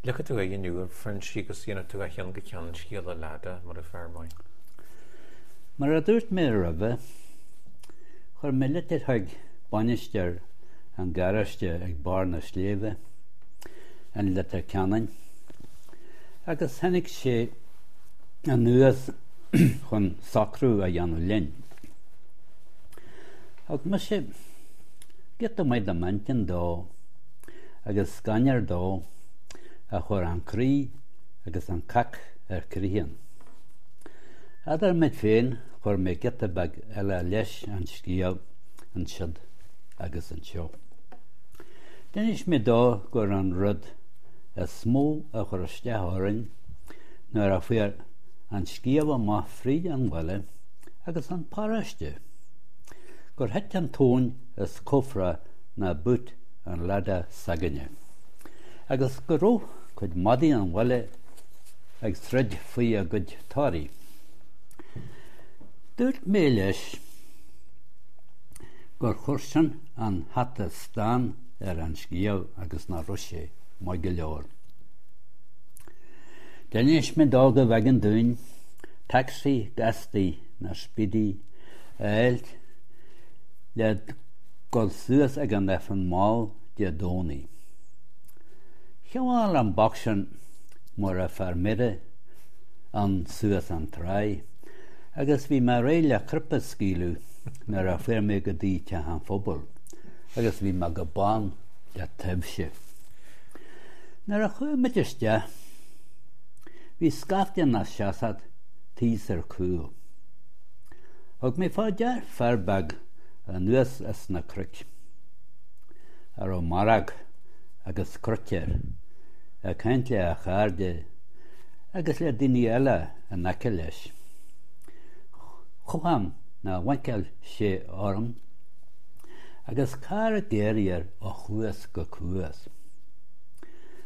Leagfaidh tú aghaidh inniu ar Phroinsí agus dhéanfaidh tú ó cheann go ceann scéal an Ladder mar a fear maith. Mar a dúirt mé roimhe, chuir mé litir chuig bainisteoir an gharáiste ag barr na sléibhe in Leitir Ceanainn agus tháinig sé anuas chun socrú a dhéanamh linn. Thug mise giota maith de m'intinn dó agus scannar dó a chuir an croí agus an cac ar critheann. Eadar muid féin chuir mé giota beag eile leis an scéal ansiud agus anseo. D'inis mé dó gur an rud is mó a chuir isteach orainn nuair a fuair an scéal amach fríd an bhaile agus an paróiste gur thit an tóin as cófra na boot an Ladder s'againne, agus go raibh cuid madaí an bhaile ag troid faoi a gcuid torthaí. Dúirt mé leis gur chuir sin an hata stáin ar an scéal agus nach raibh sé maith go leor. D'inis mé dó go mb'éigean dúinn tacsaí gastaí nó speedy a fháilt le dul suas ag an Aifreann mall Dé Domhnaigh. Shiubhal an boc sin mar a fear mire ann suas an tráigh agus bhí mé réidh le cruip a scaoileadh nuair a fuair mé go dtí Teach an Phobail agus bhí mé go bán le taibhse. Nuair a chuaigh muid isteach bhí scaifte ina seasamh thíos ar cúl. Thug mé fá dear fear beag anuas as na cnoic, a raibh maróg agus cruit air, ag caint le a chairde agus le daoine eile in aice leis. Chomh-am ná bhoncail sé orm agus carr ag éirí air ó chuas go cuas.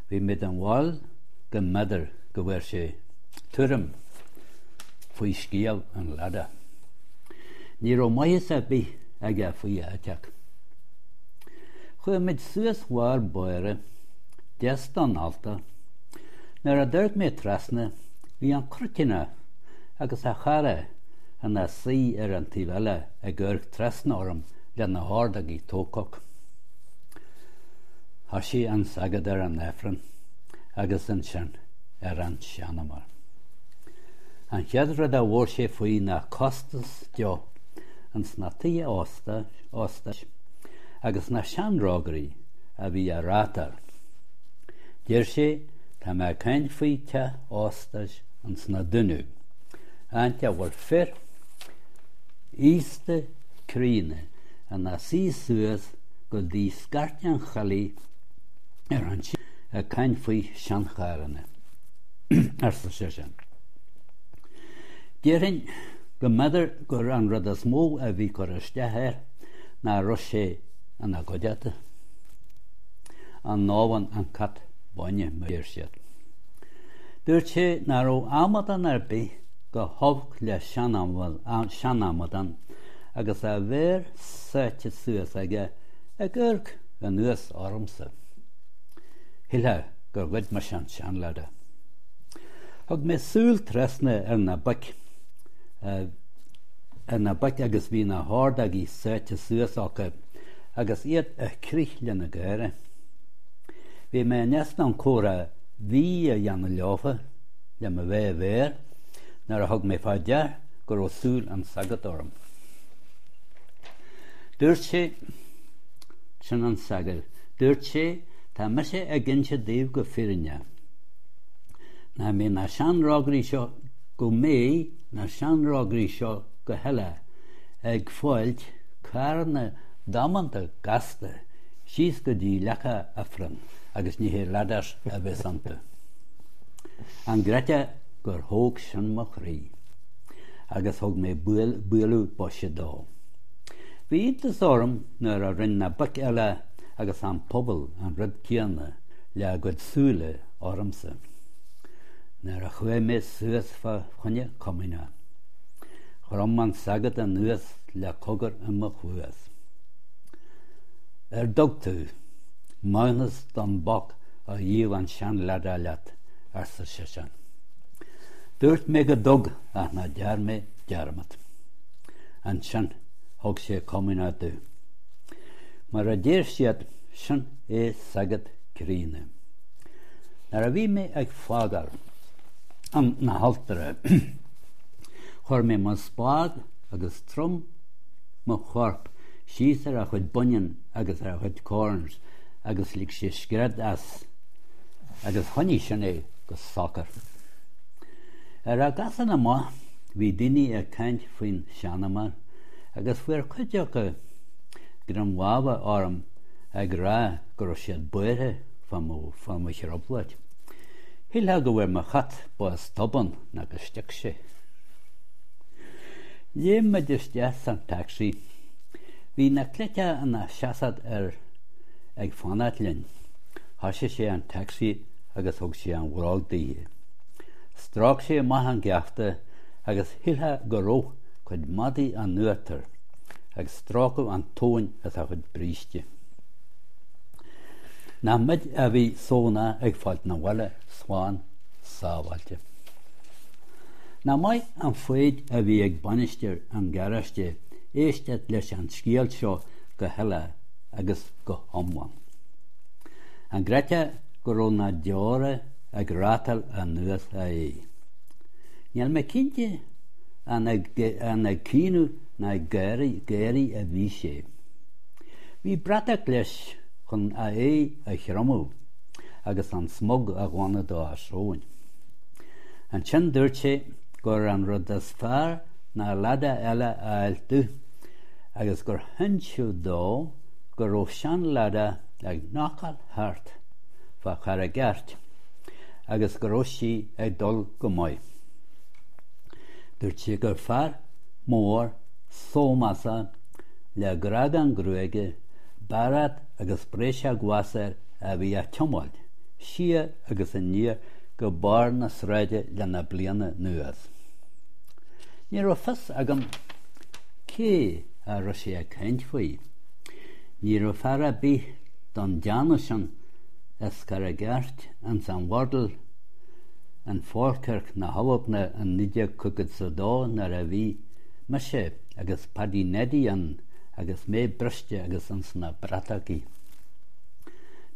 Bhí mé den bharúil go mb'fhéidir go bhfuair sé tuairim faoi scéal an Ladder. Ní raibh maitheas ar bith aige faoi a eiteach. Chuaigh muid suas bharr báire, deas don altóir. Nuair a d'amharc mé trasna, bhí an cruitíneach agus a chara ina suí ar an taobh eile ag amharc trasna orm lena hordógaí tócach. Thoisigh an sagart ar an Aifreann agus ansin ar an seanamóir. An chéad rud a bhfuair sé faoi ná costas deoch ins na tithe ósta, óstais agus na seanrógairí a bhí á reáchtáil. Deir sé, tá mé ag caint faoi teach óstais ins na Dúnaibh, áit a bhfuil fir aosta críonna ina suí suas go dtí scairt an choiligh ar an ag caint faoi seancharranna. arsa seisean. Déarfainn go mb'fhéidir gur an rud is mó a bhí cur isteach air ná raibh sé ina gcuideachta. An namhain an cat bainne, mar deir siad. Dúirt sé ná raibh amadán ar bith chomh holc le sean-amadán agus a mhéar sáite suas aige ag amharc anuas ormsa. Shílfeá gur ghoid mise an sean-Ladder. Thug mé súil trasna ar na boic ar na boic agus bhí na hordógaí sáite suas acu agus iad ag crith lena gáire. Bhí mé in easnamh comhrá bhí a dhéanamh leofa le mo bheith i bhféar nuair a thug mé fá dear go raibh súil an tsagairt orm. Dúirt sé, sin an sagart, dúirt sé, Tá mise ag inse daoibh go fírinneach, ná mbeidh na seanrógairí seo, go mbeidh na seanrógairí seo go huile ag fáilt carranna damanta gasta síos go dtí leaca Aifrinn agus ní hé Ladders a bheas iontu. An gcreidfeá gur thóg sin mo chroí agus thug mé bualadh boise dó. Bhí iontas orm nuair a rinne na boic eile agus an pobal an rud céanna le a gcuid súile ormsa nuair a chuaigh mé suas fá choinne comaoineach. Chrom an sagart anuas le cogar i mo chluas. Ar dtug tú maithiúnas don bhoc? a dhíol an sean-Lada leat, arsa seisean. Dúirt mé go dtug ach ná dear mé dearmad. Ansin thug sé comaoineach domh. Mar a deir siad, sin é sagart críonna. Nuair a bhí mé ag fágáil na haltóra, chuir mé mo spád agus trom mo chorp síos ar a chuid baineann agus ar a chuid corns agus lig sé scread as agus choinnigh sin é go socair. Ar an gcasán amach bhí daoine ag caint faoin seanumar agus fuair cuid acu greim láimhe orm ag rá go raibh siad buartha fá mo, fá mo thrioblóid. Shílfeá go bhfuair mo chat bás tobann nó go stiúc sé. Léim muid isteach san taxi. Bhí na cleite ina seasamh ar ag fanacht linn. Thoisigh sé an taxi agus thug sé an bhróg daoithe. Stróic sé amach an geafta agus shílfeá go raibh cuid madaidh in uachtar ag stróiceadh an tóin as a chuid bríste. Nach muid a bhí sona ag fáilt na bhaile slán sábháilte. Nach maith an foighid a bhí ag bainisteoir an gharáiste éisteacht leis an scéal seo go huile agus go hiomlán. An gcreidfeá go raibh na deora ag rátáil anuas a aghaidh? Níl mé cinnte an ag caoineadh ná ag gáirí a bhí sé. Bhí bratach leis chun a aghaidh a thriomú agus an smug a ghlanadh dá sróin. Ansin dúirt sé gur an rud is fearr ná Lada eile a fháilt domh agus gur hinseadh dó go raibh sean-Lada ag knockáil thart fá Charraig Airt agus go raibh sí ag dul go maith. Dúirt sé gur fear mór sómasach le grágán gruaige, bairéad agus bréiseach ghlas air a bhí á tiomáint siar agus aniar go barr na sráide le na bliana anuas. Ní raibh fios agam cé a raibh sé ag caint faoi. Ní raibh fear ar bith don déanamh sin as Carraig Airt ins an Bhordal in Falkirk na hAlban in 1952 nuair a bhí mise agus Paddy Neddy ann agus mé briste agus ins na bratachaí.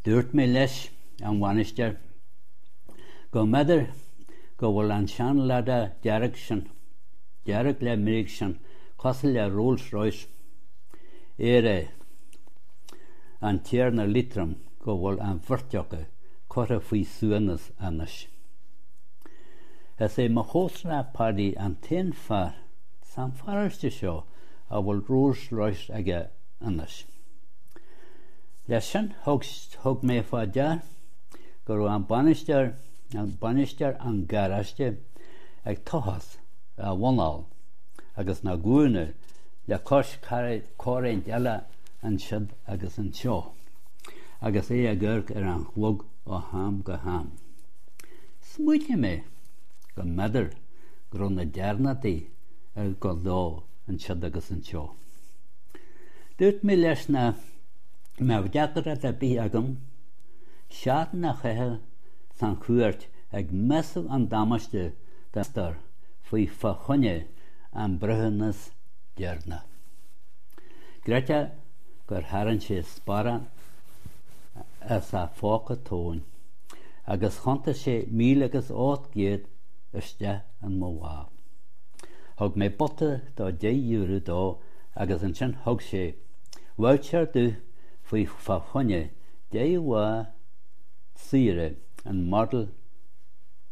Dúirt mé leis an bhainisteoir go mb'fhéidir go bhfuil an sean-Lada dearg sin, dearg le meirg sin, cosúil le Rolls Royce Éire an Tiarna Liatroim go bhfuil an bheirt acu curtha faoi suaimhneas anois. Is é mo chomharsana Paddy an t-aon fear san pharóiste seo a bhfuil Rolls Royce aige anois. Leis sin thug, thug mé fá dear go raibh an bainisteoir, an bainisteoir an garáiste ag tochas a mhuineál agus na glúine le cois corr-roinnt eile ansiúd agus anseo, agus é ag amharc ar an chlog ó am go ham. Smaointigh mé go mb'fhéidir go raibh na dearnadaí ag dul dó ansiúd agus anseo. Dúirt mé leis nach mbeadh deacracht ar bith agam seachtain a chaitheamh san chúirt ag measúnú an damáiste don faoi fá choinne an breithiúnas deireanach. Creidfeá gur tharraing sé sparán as a phóca tóin agus chuntaigh sé 1,800 isteach in mo lámh. Thug mé bota do €10 dó agus ansin thug sé voucher domh faoi fá choinne 10 lá saoire in Model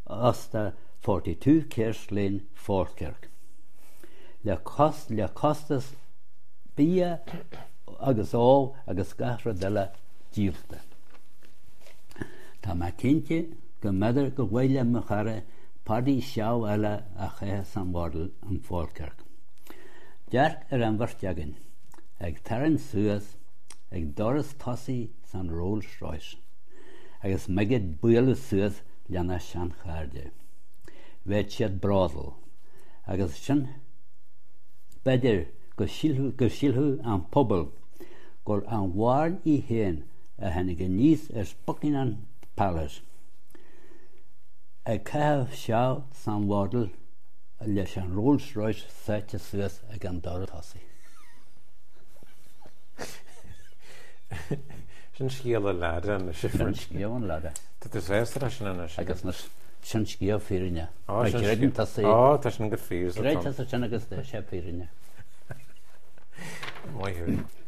Ósta 42 Kerse Lane, Falkirk. Le le costas bia agus ól agus gach rud eile díolta. Tá mé cinnte go mb'fhéidir gur mhaith le mo chara Paddy seal eile a chaitheamh san Mhodel in Falkirk. Dearc ar an bheirt againn ag tarraingt suas ag doras tosaigh san Rolls Royce agus muid ag bualadh suas lena seanchairde. Bheadh siad bródúil agus ansin b'fhéidir go go sílfeadh an pobal gur an Mhairn í féin a tháinig aníos as Buckingham. Palace ag caitheamh seal san bhfodal leis an Rolls Royce sáite suas ag an doras tosaigh. Sin scéal an leaide anois. Sin scéal an leaide. Tá tú sásta leis sin anois. Agus anois, sin scéal fírinne. Á, Má sin chreideann scéal. tusa é. Á, tá sin go fíor. Creid tusa sin agus tá sé fírinne. Maith thú.